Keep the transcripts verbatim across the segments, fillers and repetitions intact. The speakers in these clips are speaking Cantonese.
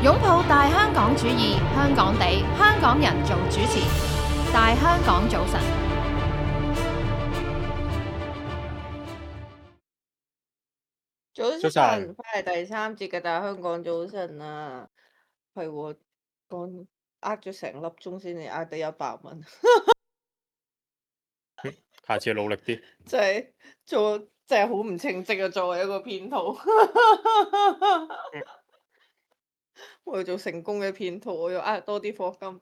擁抱大香港主義，香港地，香港人做主持。大香港早晨，早早晨，晨，翻嚟第三節嘅大香港早晨啊，係喎，講呃咗成粒鐘先至呃得一百蚊，下次努力啲。真係做真係好唔稱職啊！作為一個騙徒，我要做成功嘅騙徒，我要呃多啲課金。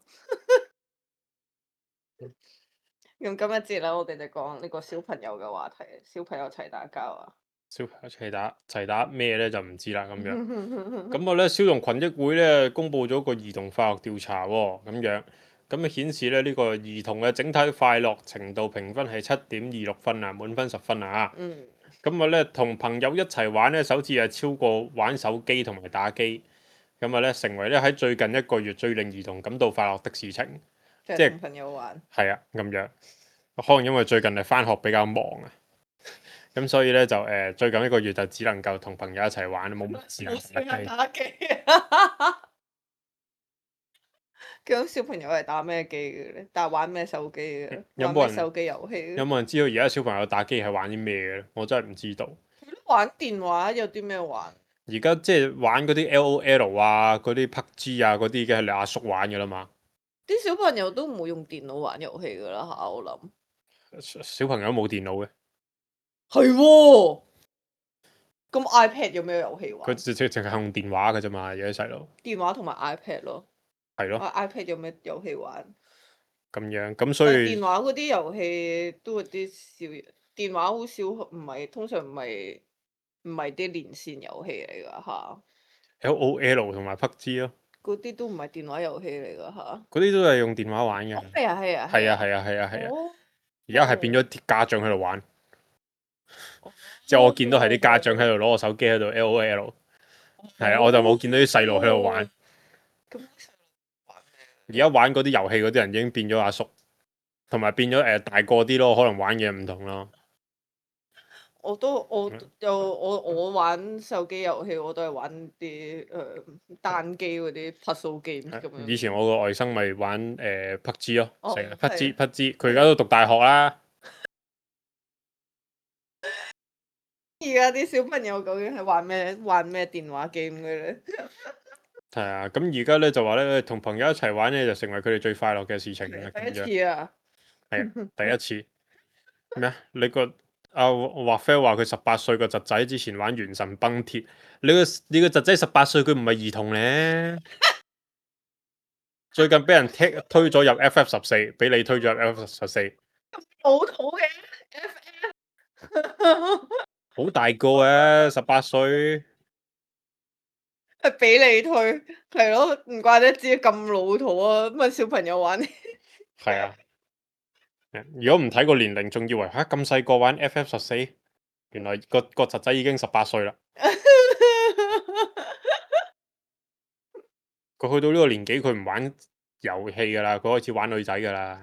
咁今一節啦，我哋就講呢個小朋友嘅話題，小朋友齊打交啊！小朋友齊打齊打咩咧就唔知啦咁樣。咁我咧少童群益會咧公布咗個兒童快樂調查喎，咁樣咁啊顯示咧呢個兒童嘅整體快樂程度評分係七點二六分啊，滿分十分啊。嗯，咁我咧同朋友一齊玩咧，首次係超過玩手機同埋打機。咁啊咧成為咧喺最近一個月最令兒童感到快樂的事情。即係即係同朋友玩。係啊咁樣，可能因為最近係返學比較忙啊。咁所以咧就誒、呃、最近一個月就只能夠同朋友一齊玩，冇乜時間冇時間打打機。咁小朋友係打咩機嘅咧？打玩咩手機嘅？有冇人玩咩手機遊戲嘅？有冇人知道而家小朋友打機係玩啲咩嘅咧？我真係唔知道。玩電話有啲咩玩？而家即係玩嗰啲 L O L 啊，嗰啲 P U B G 啊，嗰啲已經係你阿叔玩嘅啦嘛。啲小朋友都唔會用電腦玩遊戲噶啦嚇，我諗。小朋友都冇電腦嘅，係喎。咁 iPad 有咩遊戲佢玩？直直淨係用電話嘅啫嘛，有啲細路。電話同埋 iPad 咯。係咯，啊 iPad 有咩遊戲玩？咁樣咁所但係電以話嗰啲遊戲都有啲少，電話好少，唔係通常唔係唔係啲連線遊戲嚟㗎嚇， L O L 同埋 P U B G 咯，嗰啲都唔係電話遊戲嚟㗎嚇。嗰啲都係用電話玩嘅。哦，係啊係啊係啊係啊。係啊係啊係啊，哦。而家係變咗啲家長喺度玩。哦。即係我見到係啲家長喺度攞個手機喺度 L O L，係啊，我就冇見到啲細路喺度玩。咁細路玩咩？而家玩嗰啲遊戲嗰啲人已經變咗阿叔，同埋變咗誒、呃、大個啲咯，可能玩嘢唔同咯。我都我嗯又我我玩手機遊戲，我都係玩啲誒、呃、單機嗰啲 puzzle game 咁樣。以前我個外甥咪玩誒、呃、P U B G 咯，哦，成日 P U B G 係 P U B G，佢而家都讀大學啦。而家啲小朋友究竟係玩咩玩咩電話 game 嘅咧？係啊，咁而家咧就話咧，同朋友一齊玩咧就成為佢哋最快樂嘅事情啦。第一咁樣次啊！係啊，第一次咩啊？你個阿華菲話佢十八歲個侄仔之前玩《原神崩鐵》，你個你個侄仔十八歲，佢唔係兒童咧。最近俾人踢推咗入 F F 十四，俾你推咗入 F F 十四，老土嘅 F F，好大個啊，十八歲。係俾你推，係咯，唔怪得知咁老土啊！咁啊小朋友玩。係啊，如果唔睇個年齡，仲以為吓咁細個玩 F F 十四，原來個個侄仔已經十八歲啦。佢去到呢個年紀，佢唔玩遊戲噶啦，佢開始玩女仔噶啦。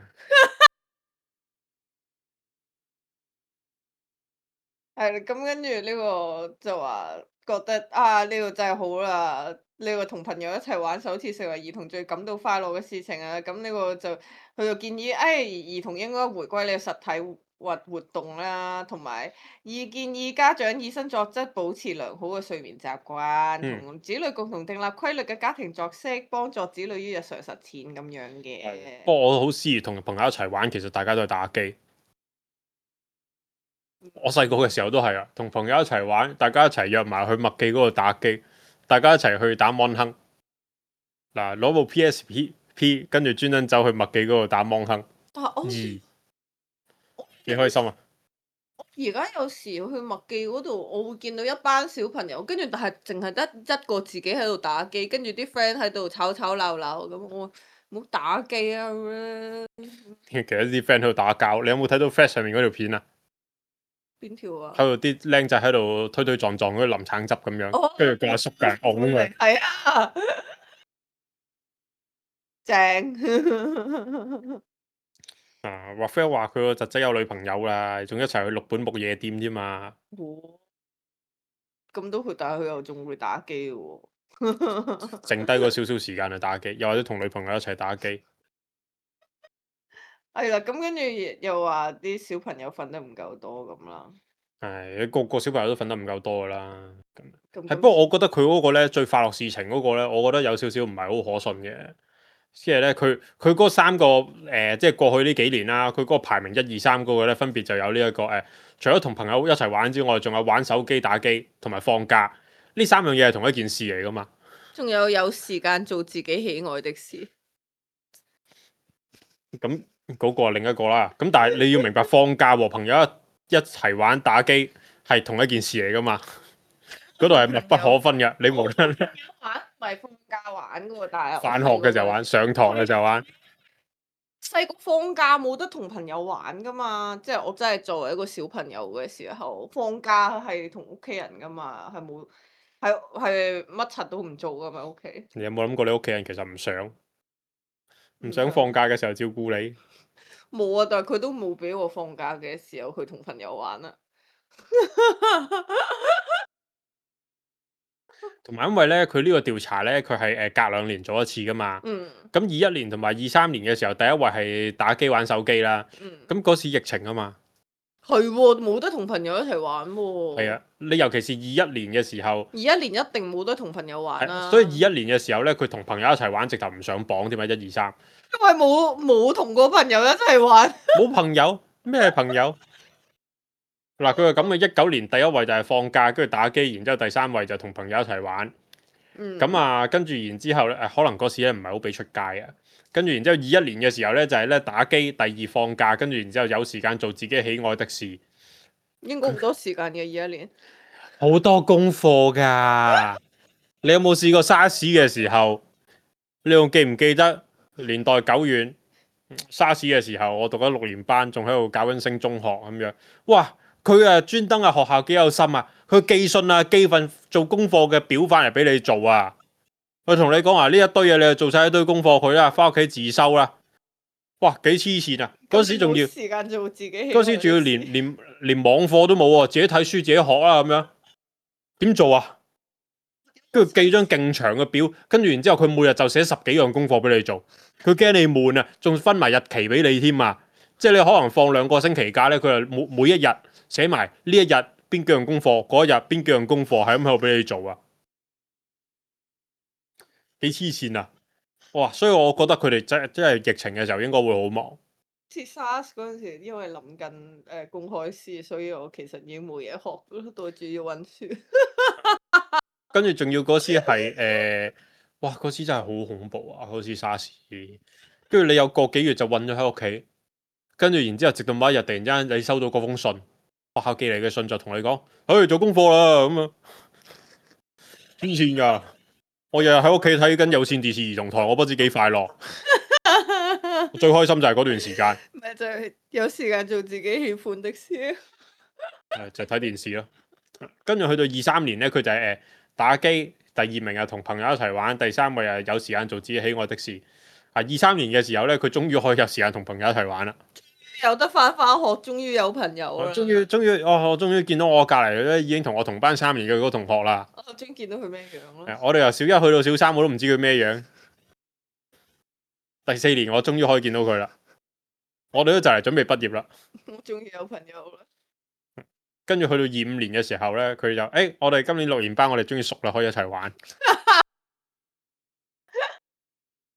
係啦，咁跟住呢個就話覺得啊，呢個真係好啦，呢個同朋友一齊玩首次成為兒童最感到快樂嘅事情啊！咁呢個就佢就建議，誒、哎、兒童應該回歸呢個實體活活動啦，同埋二建議家長以身作則，保持良好嘅睡眠習慣，嗯，同子女共同訂立規律嘅家庭作息，幫助子女於日常實踐咁樣嘅。不過我好思議，同朋友一齊玩，其實大家都係打機。我細個嘅時候都係啊，同朋友一齊玩，大家一齊約埋去麥記嗰度打機，大家一齊去打芒亨。嗱，攞部 P S P， 跟住專登走去麥記嗰度打芒亨，但係我二幾開心啊！而家有時去麥記嗰度，我會見到一班小朋友，跟住但係淨係得一個自己喺度打機，跟住啲 friend 喺度吵吵鬧鬧咁，我冇打機啊咁樣。其實啲 friend 喺度打交，你有冇睇到 Flash 上面嗰條片啊？邊條啊？喺度啲僆仔喺度推推撞撞，嗰啲淋橙汁咁樣，哦，跟住個阿叔嘅拱佢。係啊，正。啊，話 friend 話佢個侄仔有女朋友啦，仲一齊去六本木夜店添嘛。哦，咁都佢，但係佢又仲會打機喎。剩低嗰少少時間去打機，又或者同女朋友一齊打機。係啦，咁跟住又話啲小朋友瞓得唔夠多咁啦。係，個個小朋友都瞓得唔夠多噶啦。咁咁係，不過我覺得佢嗰個咧最快樂事情嗰個咧，我覺得有少少唔係好可信嘅。即係咧，佢佢嗰三個誒、呃，即係過去呢幾年啦，佢嗰個排名一二三嗰個咧，分別就有呢、這、一個誒、呃，除咗同朋友一齊玩之外，仲有玩手機打機同埋放假，呢三樣嘢係同一件事嚟噶嘛。仲有有時間做自己喜愛的事。咁嗰個係另一個啦。咁但係你要明白，放假和朋友一一齊玩打機係同一件事嚟噶嘛。嗰度係密不可分嘅，你無論玩唔係放假玩噶喎，但係返學嘅時候玩，上堂嘅時候玩。細個放假冇得同朋友玩噶嘛，即係我真係作為一個小朋友嘅時候，放假係同屋企人噶嘛，係冇係係乜柒都唔做噶嘛屋企。你有冇諗過你屋企人其實唔想唔想放假嘅時候照顧你？冇啊，但係佢都冇俾我放假嘅時候去同朋友玩啊。同埋因為咧，佢呢個調查咧，佢係誒隔兩年做一次噶嘛。嗯。咁二一年同埋二三年嘅時候，第一位係打機玩手機啦。嗯。咁嗰時疫情啊嘛。係喎，冇得同朋友一齊玩喎。係啊，你尤其是二一年嘅時候。二一年一定冇得同朋友玩啦。所以二一年嘅時候咧，佢同朋友一齊玩，直頭唔上榜添啊！一二三。因為冇冇同過朋友一齊玩。冇朋友咩朋友？嗱，佢係咁嘅，一九年第一位就係放假，跟住打機，然之後第三位就同朋友一齊玩。咁、嗯、啊，跟住然之後咧，誒可能嗰時咧唔係好俾出街啊。跟住然之後二一年嘅時候咧，就係、是、咧打機，第二放假，跟住然之後有時間做自己喜愛的事。應該好多時間嘅二一年。好多功課㗎。你有冇試過沙士嘅時候？你仲記唔記得年代久遠？沙士嘅時候，我讀緊六年班，仲喺度搞緊升中學咁樣。哇！佢啊專登啊學校幾有心啊，佢寄信啊寄份做功課嘅表翻嚟俾你做啊。佢同你講話呢一堆嘢，你就做晒一堆功課佢啦，翻屋企自修啦。哇！幾黐線啊！嗰時仲要時間做自己，嗰時仲要連連連網課都冇喎，自己睇書自己學啦咁樣。點做啊？跟住寄張勁長嘅表，跟住然之後佢每日就寫十幾樣功課俾你做，佢驚你悶啊，仲分埋日期俾你添啊！即係你可能放兩個星期假咧，佢就每每一日寫埋呢一日邊幾樣功課，嗰一日邊幾樣功課，係咁喺度俾你做啊！幾黐線啊！哇！所以我覺得佢哋真真係疫情嘅時候應該會好忙。似 SARS 嗰陣時，因為臨近誒公開試，所以我其實已經冇嘢學，都主要溫書。跟住仲要嗰時係誒、呃，哇！嗰時真係好恐怖啊！嗰時沙士，跟住你有個幾月就韞咗喺屋企，跟住然之後直到某一日突然之間你收到嗰封信，學校寄嚟嘅信就同你講，去做功課啦咁啊！黐線㗎！我日日喺屋企睇緊有線電視兒童台，我不知幾快樂。我最開心就係嗰段時間。咪就係有時間做自己喜歡的事。誒，就係睇電視咯。跟住去到二三年咧，佢就係誒打機，第二名啊同朋友一齊玩，第三位啊有時間做自己喜愛的事。啊，二三年嘅時候咧，佢終於可以有時間同朋友一齊玩啦。有得翻返學，終於有朋友啦。終於終於，哦，我終於見到我隔離咧已經同我同班三年嘅嗰個同學啦。我終於見到佢咩樣咯。我哋由小一去到小三，我都唔知佢咩樣。第四年我終於可以見到佢啦。我哋都就嚟準備畢業啦。我終於有朋友啦。跟住去到二五年嘅時候咧，佢就誒、欸，我哋今年六年班，我哋終於熟啦，可以一齊玩。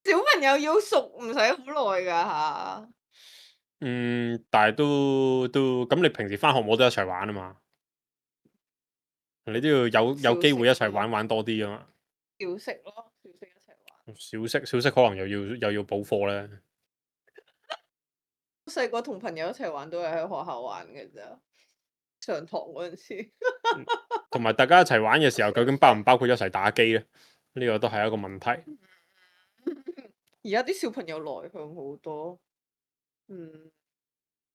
小朋友要熟唔使好耐㗎嚇。嗯，但係都都咁，你平時返學冇得一齊玩啊嘛？你都要有有機會一齊玩玩多啲啊嘛。小息咯，小息一齊玩。小息小息可能又要又要補課咧。細個同朋友一齊玩都係喺學校玩嘅咋，上堂嗰陣時。同埋大家一齊玩嘅時候，究竟包唔包括一齊打機咧？呢個都係一個問題。而家啲小朋友內向好多，嗯，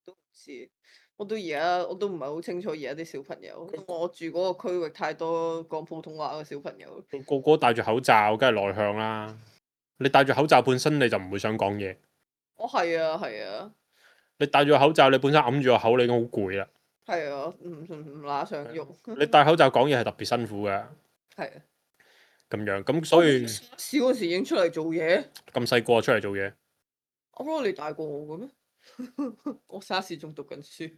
都唔知。我到而家我都唔係好清楚而家啲小朋友，因為我住嗰個區域太多講普通話嘅小朋友。個個戴住口罩，梗係內向啦。你戴住口罩本身你就唔會想講嘢。哦，係啊，係啊。你戴住個口罩，你本身揞住個口，你已經好攰啦。係啊，唔唔唔乸想喐。你戴口罩講嘢係特別辛苦嘅。係啊。咁樣，咁所以小嗰時已經出嚟做嘢，咁細個出嚟做嘢，我覺得你大過我嘅咩？我沙士仲讀緊書。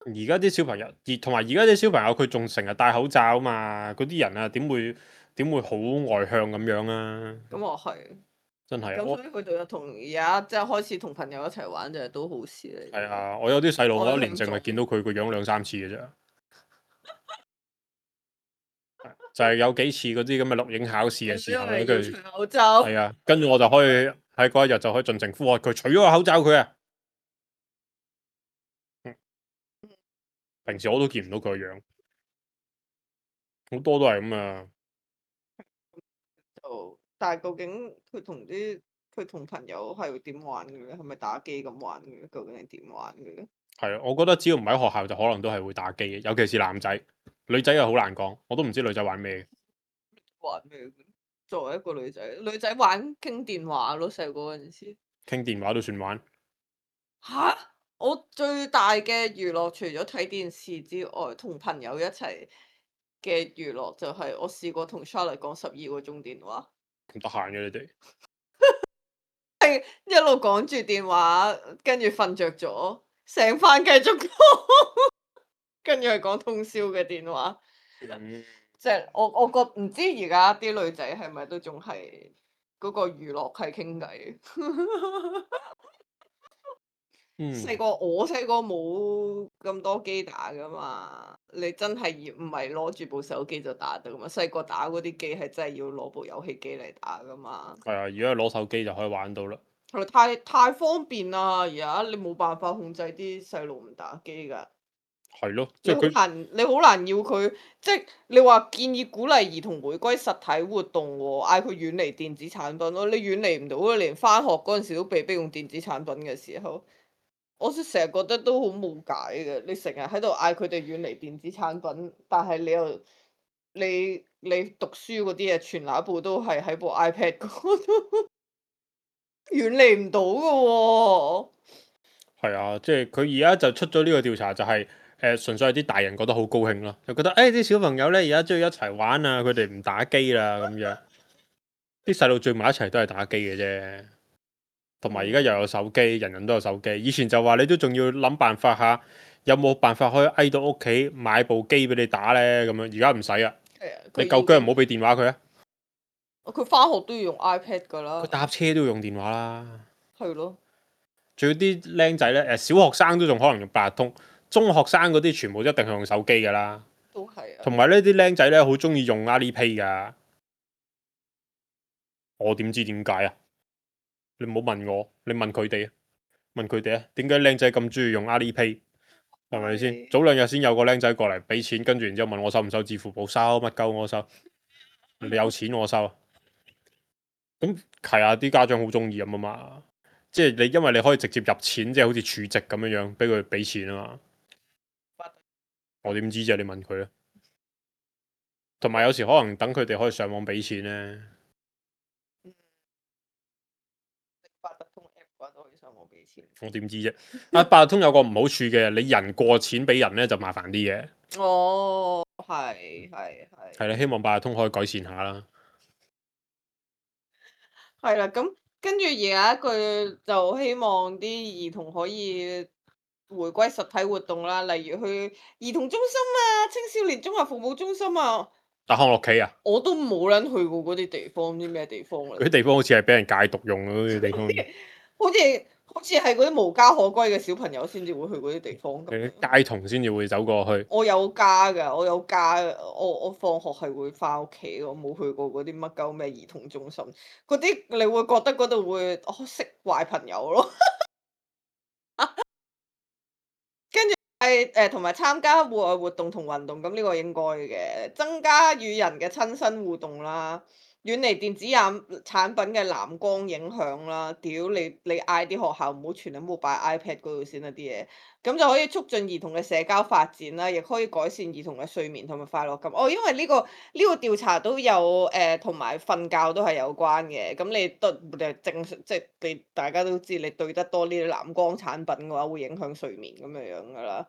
而家啲小朋友，而同埋而家啲小朋友佢仲成日戴口罩啊嘛，嗰啲人啊點會點會好外向咁樣啊？咁我係，真係啊！咁我所以佢哋就同而家即係開始同朋友一齊玩，就係都好事嚟。係啊，我有啲細路，我我一年都想做淨係見到佢個樣兩三次嘅啫。就係有幾次嗰啲咁嘅錄影考試嘅時候咧，因為要跟住除口罩。係啊，跟住我就可以喺嗰一日就可以盡情呼喝佢，除咗個口罩佢啊！嗯平時我都見唔到佢個樣，好多都係咁啊！就但係究竟佢同啲佢同朋友係點玩嘅咧？係咪打機咁玩嘅咧？究竟係點玩嘅咧？係啊，我覺得只要唔喺學校，就可能都係會打機嘅，尤其是男仔，女仔又好難講，我都唔知女仔玩咩。玩咩嘅？作為一個女仔，女仔玩傾電話咯，細個嗰陣時。傾電話都算玩，吓！我最大嘅娛樂除咗睇電視之外，同朋友一齊嘅娛樂就係我試過同 Charlotte 講十二個鐘電話，咁得閒嘅你哋。一路講住電話，跟住瞓着咗，醒翻繼續講，跟住係講通宵嘅電話。嗯即係我我覺唔知而家啲女仔係咪都仲係嗰個娛樂係傾偈。嗯，細個我細個冇咁多機打噶嘛，你真係要唔係攞住部手機就打得噶嘛？細個打嗰啲機係真係要攞部遊戲機嚟打噶嘛。係啊，而家攞手機就可以玩到啦。係太太方便啦！而家你冇辦法控制啲細路唔打機㗎。係咯，即你好係佢難，你好難要佢，即係你話建議鼓勵兒童回歸實體活動喎，嗌佢遠離電子產品咯。你遠離唔到啊！連返學嗰陣時都被逼用電子產品嘅時候，我成日覺得都好冇解嘅。你成日喺度嗌佢哋遠離電子產品，但係你又你你讀書嗰啲嘢全那部都係喺部 iPad 嗰度，遠離唔到㗎喎。係啊，即係佢而家就出咗呢個調查，就係、是、誒、呃、純粹係啲大人覺得好高興咯，就覺得誒啲、哎、小朋友咧而家中意一齊玩啊，佢哋唔打機啦咁樣，啲細路聚埋一齊都係打機嘅啫。同埋而家又有手機，人人都有手機。以前就話你都仲要諗辦法下，有冇辦法可以嗌到屋企買部機俾你打咧咁樣。而家唔使啊，係啊，你夠薑唔好俾電話佢啊。佢返學都要用 iPad 㗎啦。佢搭車都要用電話啦。係咯。仲有啲僆仔咧，誒小學生都仲可能用八達通，中學生嗰啲全部一定係用手機㗎啦。都係啊。同埋呢啲僆仔咧，好中意用 Alipay 㗎。我點知點解啊？你唔好問我，你問佢哋啊，問佢哋啊，點解僆仔咁中意用 Alipay？係咪先？係早兩日先有個僆仔過嚟俾錢，跟住然之後問我收唔收支付寶，收乜鳩我收，你有錢我收。咁係啊，啲家長好中意咁啊嘛，即係你因為你可以直接入錢，即係好似儲值咁樣樣，俾佢俾錢啊嘛。我點知啫？你問佢啊。同埋有時可能等佢哋可以上網俾錢咧。八達通 app 嘅話都可以上網俾錢。我點知啫？啊，八達通有個唔好處嘅，你人過錢俾人咧就麻煩啲嘅。哦，係係係。係啦，希望八達通可以改善下啦。係啦，咁跟住而家佢就希望啲兒童可以回歸實體活動啦，例如去兒童中心啊、青少年綜合服務中心啊。打康樂棋啊，我都冇撚去過嗰啲地方，唔知咩地方嚟。嗰啲地方好似係俾人戒毒用嗰啲地方。好似好似係嗰啲無家可歸嘅小朋友先至會去嗰啲地方咁樣。街童先至會走過去。我有家㗎，我有家，我我放學係會翻屋企，我冇去過嗰啲乜鳩咩兒童中心，嗰啲你會覺得嗰度會哦識壞朋友咯。跟住係誒同埋參加戶外活動同運動，咁呢個應該嘅，增加與人嘅親身互動啦。遠離電子產產品嘅藍光影響啦，屌你你嗌啲學校唔好全部擺 iPad 嗰度先啦啲嘢，咁就可以促進兒童嘅社交發展啦，亦可以改善兒童嘅睡眠同埋快樂感。哦，因為呢個呢個調查都有誒同埋瞓覺都係有關嘅，咁你對誒正常即係你大家都知，你對得多呢啲藍光產品嘅話，會影響睡眠咁樣樣噶啦。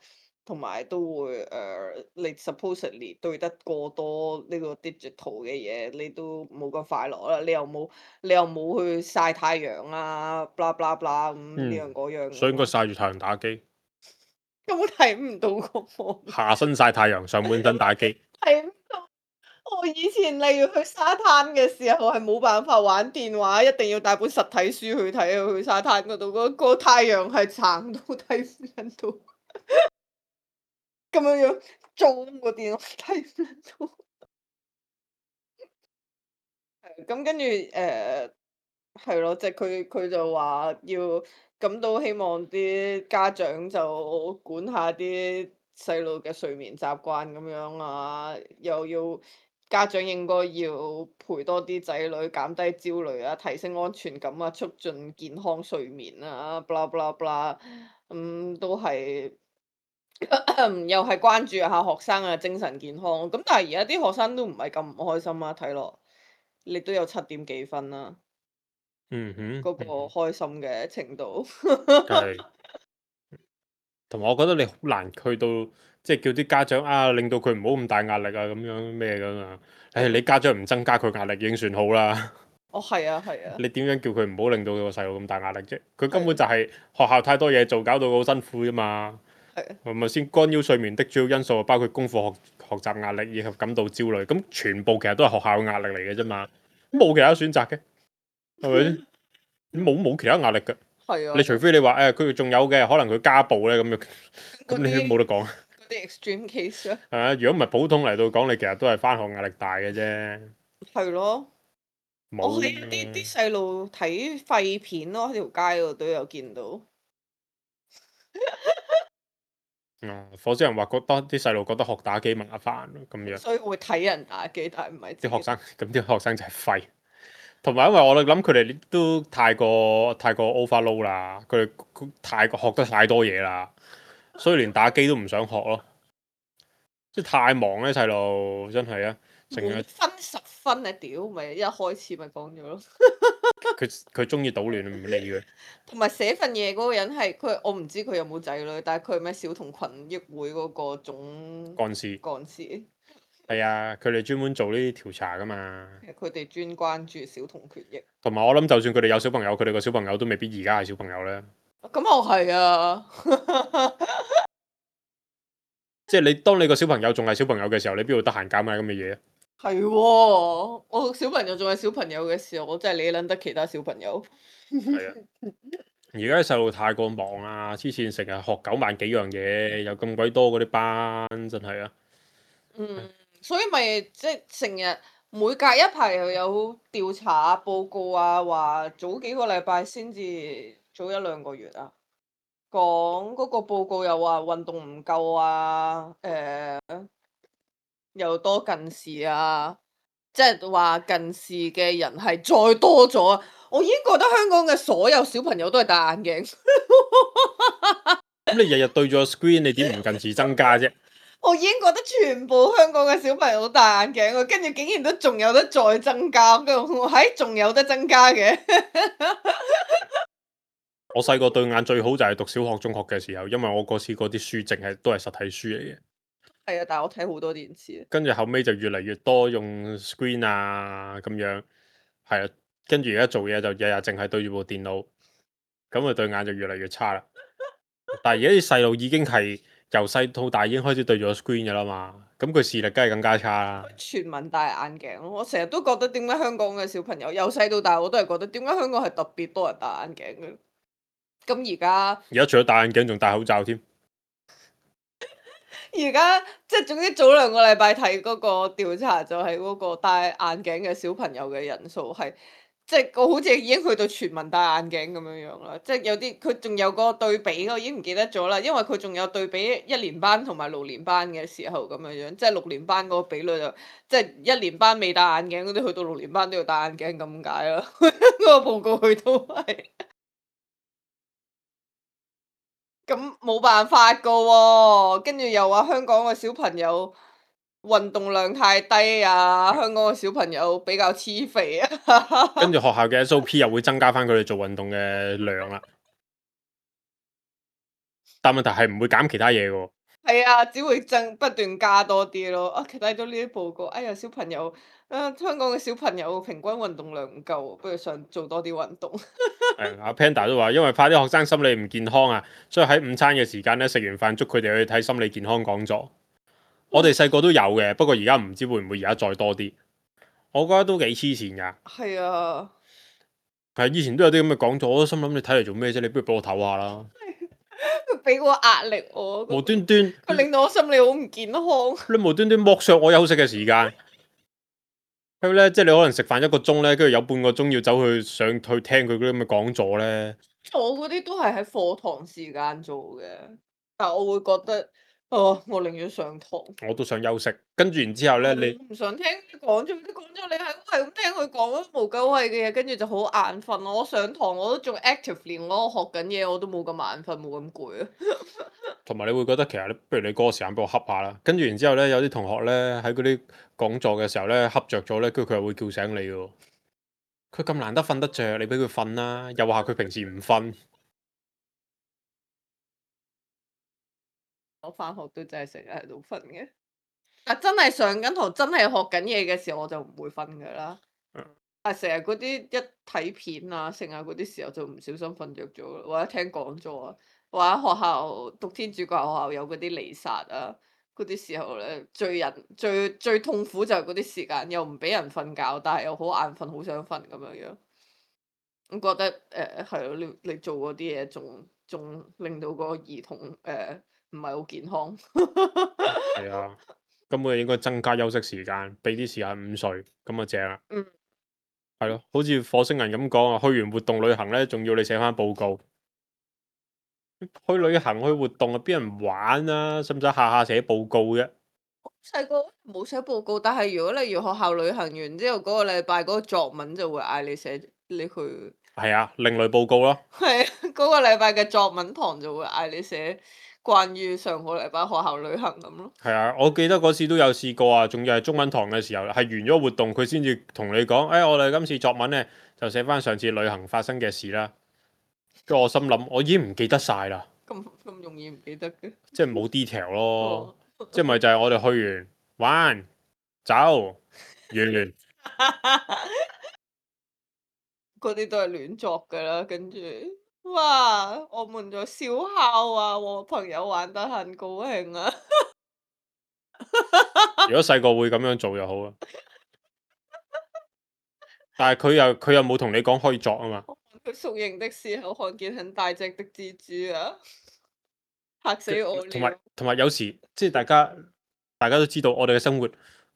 同埋都會誒、呃你 supposedly 對得過多呢個 digital 嘅嘢，你都冇咁快樂啦。你又冇你又冇去曬太陽啊，blah blah blah 咁呢嗯樣嗰樣所以應該咁曬住太陽打機，根本睇唔到個畫下身曬太陽，上半身打機。睇唔到。我以前例如去沙灘嘅時候係冇辦法玩電話，一定要帶本實體書去睇啊！去沙灘嗰度，嗰、個太陽係撐到睇唔撚到，咁樣樣裝個電話睇唔撚到。係咁跟住誒係咯，即係佢佢就話要咁都希望啲家長就管下啲細路嘅睡眠習慣咁樣啊，又要家長應該要陪多啲仔女，減低焦慮啊，提升安全感啊，促進健康睡眠啊，blah blah blah，咁都係又係關注下學生嘅精神健康。咁但係而家啲學生都唔係咁唔開心啊，睇落你都有七點幾分啦。嗯哼，嗰個嗯哼開心嘅程度，係。同埋我覺得你好難去到，即係叫啲家長啊，令到佢唔好咁大壓力啊，咁樣咩噶嘛？誒、係你家長唔增加佢壓力已經算好啦。哦，係啊，係啊，你點樣叫佢唔好令到個細路咁大壓力啫？佢根本係就係學校太多嘢做，搞到好辛苦啫嘛。係啊，係咪先？干擾睡眠的主要因素包括功課學學習壓力以及感到焦慮，咁全部其實都係學校嘅壓力嚟嘅啫嘛。冇其他選擇嘅，係咪先？冇冇其他壓力㗎。係啊，你除非你話誒佢仲有嘅，可能佢家暴咧咁樣，咁你都冇得講。嗰啲 extreme case 啊，係啊，如果唔係普通嚟到講，你其實都係翻學壓力大嘅啫。係咯，我冇喺啲啲細路睇廢片咯，喺條街嗰度都有見到。啊，火星人話覺得啲細路覺得學打機麻煩咁樣，所以會睇人打機，但係唔係自己啲學生咁啲學生就係廢。同埋因為我哋諗佢哋都太過太過 overload 啦，佢哋佢太過學得太多嘢啦，所以連打機都唔想學咯。即係太忙咧，細路真係啊，成日滿分十分啊！屌，咪一開始咪講咗咯。佢佢中意搗亂唔理佢。同埋寫份嘢嗰個人係佢，我唔知佢有冇仔女，但係佢係咩小童群益會嗰個總幹事幹事。係啊，佢哋專門做呢啲調查噶嘛。佢哋專關注小童權益。同埋我諗，就算佢哋有小朋友，佢哋個小朋友都未必而家係小朋友咧。咁又係啊！即係你當你個小朋友仲係小朋友嘅時候，你邊度得閒搞埋咁嘅嘢啊？係喎，我小朋友仲係小朋友嘅時候，我真係理撚得其他小朋友。係啊，而家啲細路太過忙啊，黐線成日學九萬幾樣嘢，又咁鬼多嗰啲班，真係啊！嗯，所以咪即係成日每隔一排又有調查啊、報告啊，話早幾個禮拜先至早一兩個月啊，講嗰個報告又話運動唔夠啊，誒、又多近視啊，即係話近視嘅人係再多咗啊！我已經覺得香港嘅所有小朋友都係戴眼鏡。咁你日日對住個 screen，你點唔近視增加啫？我已經覺得全部香港嘅小朋友都戴眼鏡喎，跟住竟然都仲有得再增加，跟住我喺仲有得增加嘅。我細個對眼最好就係讀小學、中學嘅時候，因為我嗰時嗰啲書淨係都係實體書嚟嘅。係啊，但係我睇好多電視。跟住後尾就越嚟越多用 screen 啊咁樣，係啊。跟住而家做嘢就日日淨係對住部電腦，咁啊對眼就越嚟越差啦。但係而家啲細路已經係由細到大已經開始對住個 screen 嘅啦嘛，咁佢視力梗係更加差啦。全民戴眼鏡咯，我成日都覺得點解香港嘅小朋友由細到大我都係覺得點解香港係特別多人戴眼鏡嘅。咁而家而家除咗戴眼鏡，仲戴口罩添。而家即係總之早兩個禮拜睇嗰個調查，就係嗰個戴眼鏡嘅小朋友嘅人數係。即係我好似已經去到全民戴眼鏡咁樣樣啦，即係有啲佢仲有個對比，我已經唔記得咗啦，因為佢仲有對比一年班同埋六年班嘅時候咁樣樣，即係六年班嗰個比率就即係一年班未戴眼鏡嗰啲，去到六年班都要戴眼鏡咁解啦。嗰個報告佢都係，咁冇辦法噶喎，跟住又話香港嘅小朋友運動量太低啊！香港嘅小朋友比較黐肥啊，跟住學校嘅 S O P 又會增加翻佢哋做運動嘅量啦，但問題係唔會減其他嘢嘅喎。係啊，只會增不斷加多啲咯。啊，睇到呢啲報告，哎呀，小朋友，啊，香港嘅小朋友平均運動量唔夠，不如想做多啲運動。誒，阿 Panda 都話，因為怕啲學生心理唔健康啊，所以喺午餐嘅時間咧，食完飯捉佢哋去睇心理健康講座。我哋細個都有嘅，不過而家唔知會唔會而家再多啲。我覺得都幾黐線㗎。係啊，係以前都有啲咁嘅講座，我都心諗你睇嚟做咩啫？你不如俾我唞下啦。佢俾個壓力我，無端端佢令到我心理好唔健康。你無端端剝削我休息嘅時間。咁咧，即係你可能食飯一個鐘咧，跟住有半個鐘要走去上去聽佢嗰啲咁嘅講座咧。我嗰啲都係喺課堂時間做嘅，但我會覺得，哦，我寧願上堂。我都想休息，跟住然之後咧，你唔想聽佢講咗，啲講咗你係係咁聽佢講無鳩謂嘅嘢，跟住就好眼瞓咯。我上堂我都仲 actively，我學緊嘢，我都冇咁眼瞓，冇咁攰啊。同埋你會覺得其實你不如你嗰個時間俾我恰下啦。跟住然之後咧，有啲同學咧喺嗰啲講座嘅時候咧恰着咗咧，跟住佢又會叫醒你喎。佢咁難得瞓得着，你俾佢瞓啦，又話佢平時唔瞓。我翻學都真係成日喺度瞓嘅，但真係上緊堂真係學緊嘢嘅時候，我就唔會瞓噶啦。嗯但成日嗰啲一睇片啊，成日嗰啲時候就唔小心瞓着咗，或者聽講座啊，或者學校讀天主教學校有嗰啲彌撒啊，嗰啲時候咧最人最最痛苦就係嗰啲時間，又唔俾人瞓覺，但係又好眼瞓，好想瞓咁樣樣。我覺得誒係咯，你你做嗰啲嘢仲仲令到個兒童誒唔係好健康。係啊，根本應該增加休息時間，俾啲時間午睡，咁啊正啦。嗯。係咯，好似火星人咁講啊，去完活動旅行咧，仲要你寫翻報告。去旅行去活動啊，邊人玩啊？使唔使下下寫報告啫？細個冇寫報告，但係如果你要學校旅行完之後嗰個禮拜嗰個作文就會嗌你寫，你去係啊，另類報告咯。係啊，嗰個禮拜嘅作文堂就會嗌你寫關於上個禮拜學校旅行咁咯。係啊，我記得嗰次都有試過啊，仲要係中文堂嘅時候，係完咗活動佢先至同你講，誒、哎，我哋今次作文咧就寫翻上次旅行發生嘅事啦。跟住我心諗，我已經唔記得晒啦，咁咁容易唔記得嘅？即係冇 detail 咯，哦即係咪就係我哋去完玩走完。嗰啲都係亂作噶啦，跟住哇，我們在燒烤啊，我朋友玩得很高興啊。如果細個會咁樣做就好啦，但係佢又佢又冇同你講可以作啊嘛。佢宿營的時候看見很大隻的蜘蛛啊，嚇死我同埋了！同埋有時即係大家大家都知道，我哋嘅生活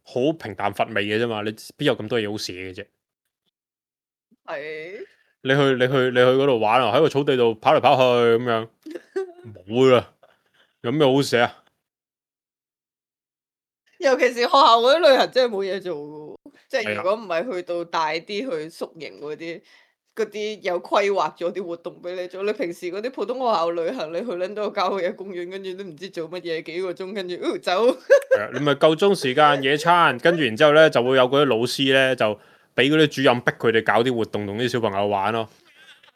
好平淡乏味嘅啫嘛，你邊有咁多嘢好寫嘅啫？係，你去你去你去嗰度玩啊，喺個草地度跑嚟跑去咁樣，冇啦，有咩好寫啊？尤其是學校嗰啲旅行真係冇嘢做嘅喎，即係係啊如果唔係去到大啲去宿營嗰啲，嗰啲有規劃咗啲活動俾你做。你平時嗰啲普通學校旅行，你去撚到個郊野公園，跟住都唔知做乜嘢幾個鐘，跟住哦走。係啊，你咪夠鐘時間野餐，跟住然之後咧就會有嗰啲老師咧就俾嗰啲主任逼佢哋搞啲活動同啲小朋友玩咯，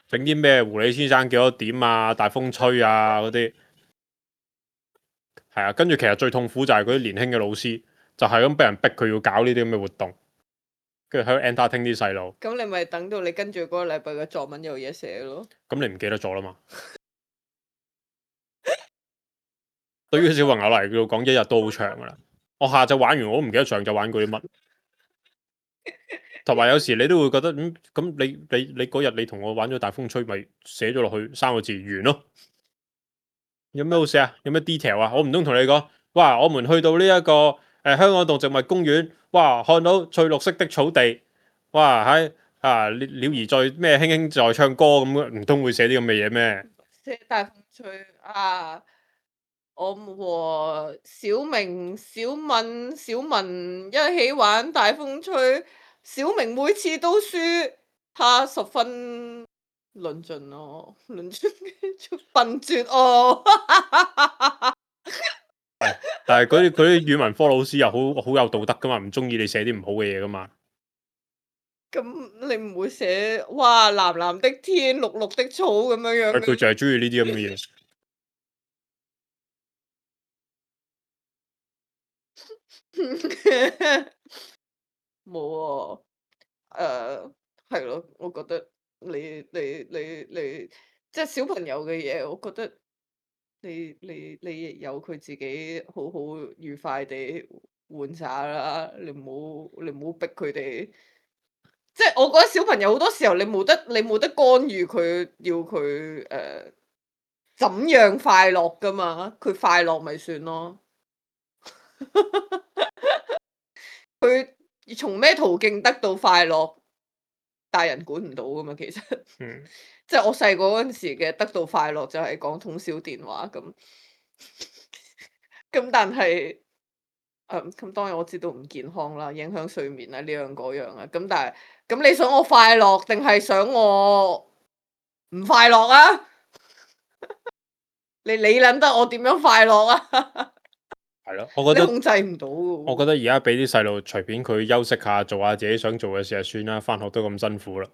整啲咩狐狸先生幾多點啊、大風吹啊嗰啲。係啊，跟住其實最痛苦就係嗰啲年輕嘅老師，就係咁俾人逼佢要搞呢啲咁嘅活動，跟住喺度 entertain 啲細路。咁你咪等到你跟住嗰個禮拜嘅作文有嘢寫咯。咁你唔記得咗啦嘛？對於小朋友嚟講，一日都好長噶啦。我下晝玩完，我都唔記得上晝玩過啲乜。同埋有時你都會覺得，嗯，咁你你你嗰日你同我玩咗大風吹，咪寫咗落去三個字完咯。有咩好寫啊？有咩 detail 啊？我唔通同你講，哇！我們去到呢、這、一個誒、呃、香港動植物公園，哇！看到翠綠色的草地，哇！喺啊鳥鳥兒在咩輕輕在唱歌咁，唔通會寫啲咁嘅嘢咩？寫大風吹啊！我和小明、小敏、小文一起玩大風吹，小明每次都輸，他十分論盡哦，論盡笨拙哦。但係嗰啲嗰啲語文科老師又好好有道德噶嘛，唔中意你寫啲唔好嘅嘢噶嘛。咁你唔會寫哇藍藍的天、綠綠的草咁樣樣嘅？佢就係中意呢啲咁嘅嘢。冇喎，誒係咯，我覺得你你你你即係小朋友嘅嘢，我覺得你你你由佢自己好好愉快地玩耍啦，你唔好你唔好逼佢哋。即係我覺得小朋友好多時候你冇得你冇得干預佢，要佢誒怎樣快樂噶嘛，佢快樂咪算咯。佢從咩途徑得到快樂，大人管唔到噶嘛，其實。嗯，即係我細個嗰陣時嘅得到快樂就係講通宵電話咁。咁但係誒咁當然我知道唔健康啦，影響睡眠啊呢樣嗰樣啊。咁但係咁你想我快樂定係想我唔快樂啊？你理撚得我點樣快樂啊？係咯，我覺得你控制唔到嘅喎。我覺得而家俾啲細路隨便佢休息下，做下自己想做嘅事就算啦。翻學都咁辛苦啦。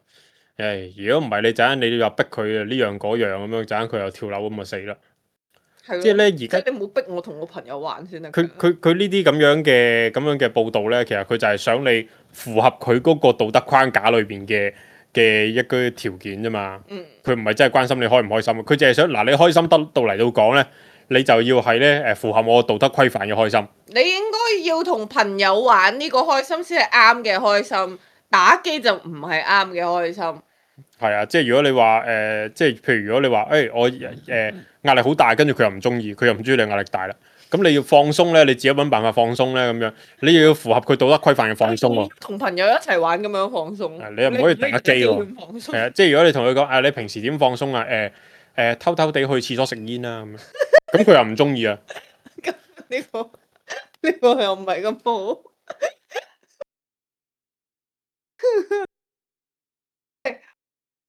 誒，如果唔係你陣間你又逼佢呢樣嗰樣咁樣，陣間佢又跳樓咁就死啦。係咯即係咧，而即家係你唔好逼我同我朋友玩先得㗎。佢佢佢呢啲咁樣嘅咁樣嘅報導咧，其實佢就係想你符合佢嗰個道德框架裏邊嘅嘅一個條件啫嘛。嗯，佢唔係真係關心你開唔開心，佢淨係想嗱你開心得到嚟到講咧，你就要係咧誒符合我道德規範嘅開心。你應該要同朋友玩呢個開心先係啱嘅開心，打機就唔係啱嘅開心。係啊，即係如果你話誒、呃，即係譬如如果你話誒、欸、我誒、呃、壓力好大，跟住佢又唔中意，佢又唔中意你壓力大啦，咁你要放鬆咧，你自己揾辦法放鬆咧，咁樣你又要符合佢道德規範嘅放鬆喎。同朋友一齊玩咁樣放鬆。啊你又唔可以打機喎。放鬆係啊，即係如果你同佢講啊，你平時點放鬆啊？誒、呃、誒、呃、偷偷地去廁所食煙啦咁樣，咁佢又唔中意啊。咁呢個呢個又唔係咁好。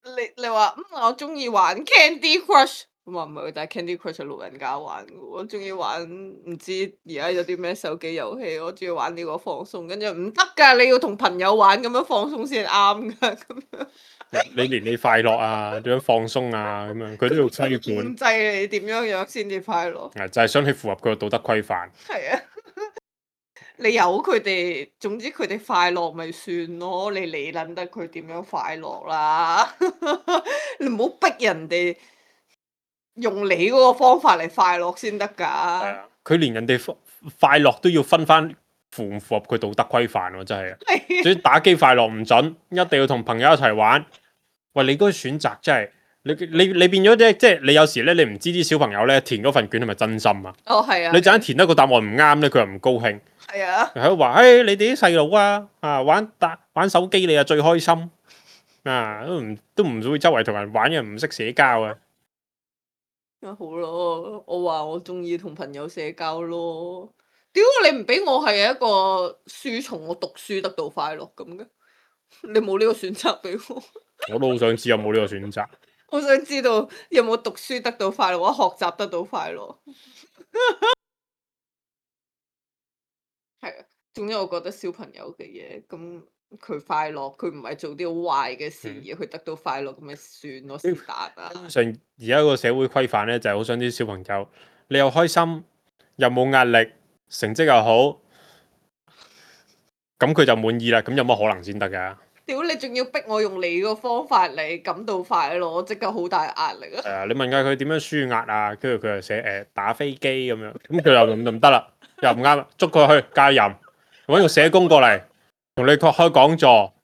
你你話嗯我中意玩 Candy Crush，咁話唔係，但係 Candy Crush 係老人家玩嘅喎。我中意玩唔知而家有啲咩手機遊戲，我中意玩呢個放鬆，跟住唔得㗎，你要同朋友玩咁樣放鬆先啱㗎，咁樣你連你快樂啊，點樣放鬆啊，咁樣佢都要規管。控制你點樣樣先至快樂。啊，就係想你符合佢嘅道德規範。係啊，你由佢哋，總之佢哋快樂咪算咯，你理撚得佢點樣快樂啦？你唔好逼人哋用你嗰個方法嚟快樂先得㗎。係啊，佢連人哋快樂都要分翻符唔符合佢道德規範喎，真係啊！係總之打機快樂唔準，一定要同朋友一齊玩。喂，你嗰個選擇真係你你你變咗啫，即係你有時咧，你唔知啲小朋友咧填嗰份卷係咪真心啊？哦，係啊。你陣間填得個答案唔啱咧，佢又唔高興，係啊。喺度話：，誒、哎，你哋啲細路啊，啊玩打玩手機你啊最開心啊，都唔都唔會周圍同人玩，因為唔識社交啊。咁好咯，我話我中意同朋友社交咯。屌你唔俾我係一個書蟲，我讀書得到快樂咁嘅，你冇呢個選擇俾我。我都好想知有冇呢個選擇。我想知道有冇讀書得到快樂，或者學習得到快樂。係啊，總之我覺得小朋友嘅嘢，咁佢快樂，佢唔係做啲好壞嘅事嗯而佢得到快樂，咁咪算咯，是但啊。上而家個社會規範咧，就係好想啲小朋友，你又開心，又冇壓力，成績又好，咁佢就滿意啦。咁有乜可能先得㗎？屌你仲要逼我用你個方法嚟感到快樂，我即刻好大壓力啊！係啊，你問下佢點樣舒壓啊？跟住佢又寫誒、呃、打飛機咁樣，咁佢又咁就唔得啦，又唔啱啦，捉佢去戒淫，揾個社工過嚟同你開開講座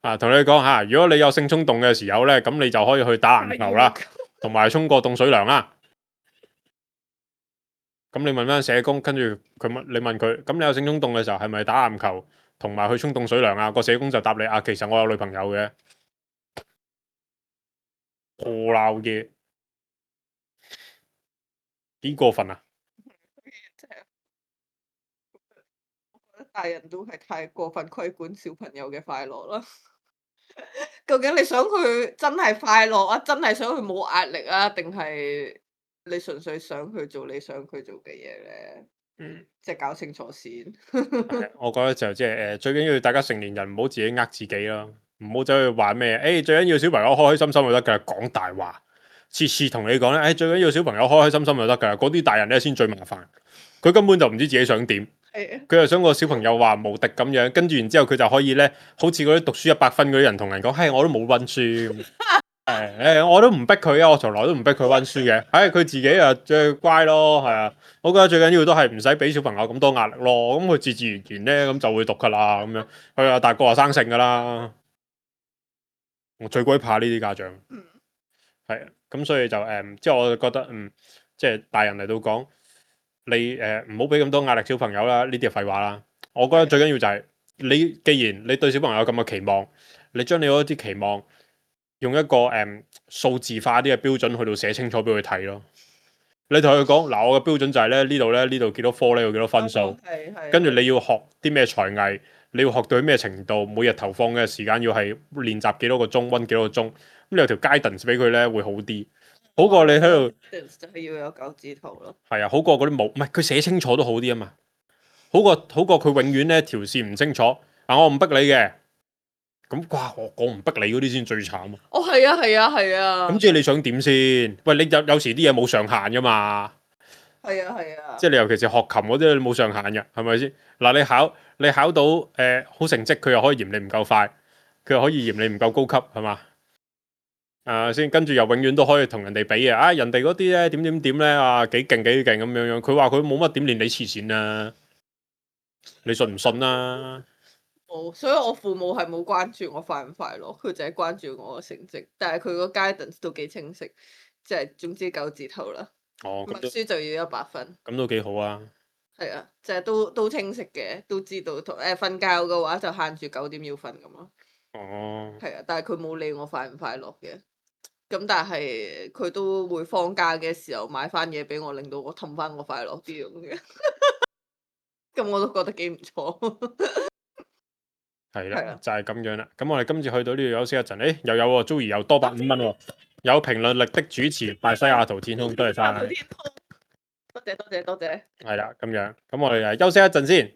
啊，同你講嚇，如果你有性衝動嘅時候咧，咁你就可以去打籃球啦，同埋沖個凍水涼啦。咁你問翻社工，跟住佢問你問佢，咁你有性衝動嘅時候係咪打籃球同埋去沖凍水涼啊？個社工就答你啊，其實我有女朋友嘅，破鬧嘢，幾過分啊！真係，我覺得大人都係太過分規管小朋友嘅快樂啦。究竟你想佢真係快樂啊？真係想佢冇壓力啊？定係你純粹想佢做你想佢做嘅嘢咧？嗯，即係搞清楚先。係我覺得就即係誒，最緊要大家成年人唔好自己呃自己咯，唔好走去話咩誒，最緊要小朋友開開心心就得㗎，講大話，次次同你講咧，誒最緊要小朋友開開心心就得㗎，嗰啲大人咧先最麻煩，佢根本就唔知自己想點。係啊，佢又想個小朋友話無敵咁樣，跟住然之後佢就可以咧，好似嗰啲讀書一百分嗰啲人同人講，嘿，我都冇温書，誒誒，我都唔逼佢啊，我從來都唔逼佢温書嘅，唉，佢自己啊最乖咯，係啊，我覺得最緊要都係唔使俾小朋友咁多壓力咯，咁佢自自然然咧咁就會讀噶啦，咁樣，佢啊大個話生性噶啦，我最鬼怕呢啲家長，嗯，係啊，咁所以就誒，即係我就覺得嗯，即係大人嚟到講。你誒唔好俾咁多壓力小朋友啦，呢啲係廢話啦。我覺得最緊要就係、是、你，既然你對小朋友有咁嘅期望，你將你嗰啲期望用一個誒、嗯、數字化啲嘅標準去到寫清楚俾佢睇咯。你同佢講嗱，我嘅標準就係咧呢度咧呢度幾多科咧要幾多分數，係係。跟住你要學啲咩才藝，你要學到咩程度，每日投放嘅時間要係練習幾多個鐘，温幾多個鐘，咁你有條 guidance 俾佢咧會好啲。好過你喺度，就係要有九字圖咯。係啊，好過嗰啲冇，唔係佢寫清楚都好啲啊嘛。好過好過佢永遠咧條線唔清楚。嗱，我唔逼你嘅，咁哇，我我唔逼你嗰啲先最慘啊。哦，係啊，係啊，係啊。咁即係你想點先？喂，你有有時啲嘢冇上限噶嘛？係啊，係啊。即係你尤其是學琴嗰啲，你冇上限嘅，係咪先？嗱，你考你考到誒、呃、好成績，佢又可以嫌你唔夠快，佢又可以嫌你唔夠高級，係嘛？啊，先跟住又永遠都可以同人哋比嘅，啊人哋嗰啲咧點點點咧啊幾勁幾勁咁樣樣，佢話佢冇乜點練你黐線啊，你信唔信啊？哦，所以我父母係冇關注我快唔快樂，佢就係關注我嘅成績，但係佢個 guidance 都幾清晰，即係總之九字頭啦，哦，默書就要一百分。咁都幾好啊！係啊，即係都都清晰嘅，都知道同誒瞓覺嘅話就限住九點要瞓咁咯。哦，係啊，但係佢冇理我快唔快樂嘅。咁但係佢都會放假嘅時候買翻嘢俾我，令到我氹翻我快樂啲咁嘅。咁我都覺得幾唔錯。係啦，係啊，就係咁樣啦。咁我哋今次去到呢度休息一陣，誒又有喎，Joey 又多百五蚊喎，有評論力的主持拜西雅圖天空，多謝晒。天空，多謝多謝多謝。係啦，咁樣，咁我哋誒休息一陣先。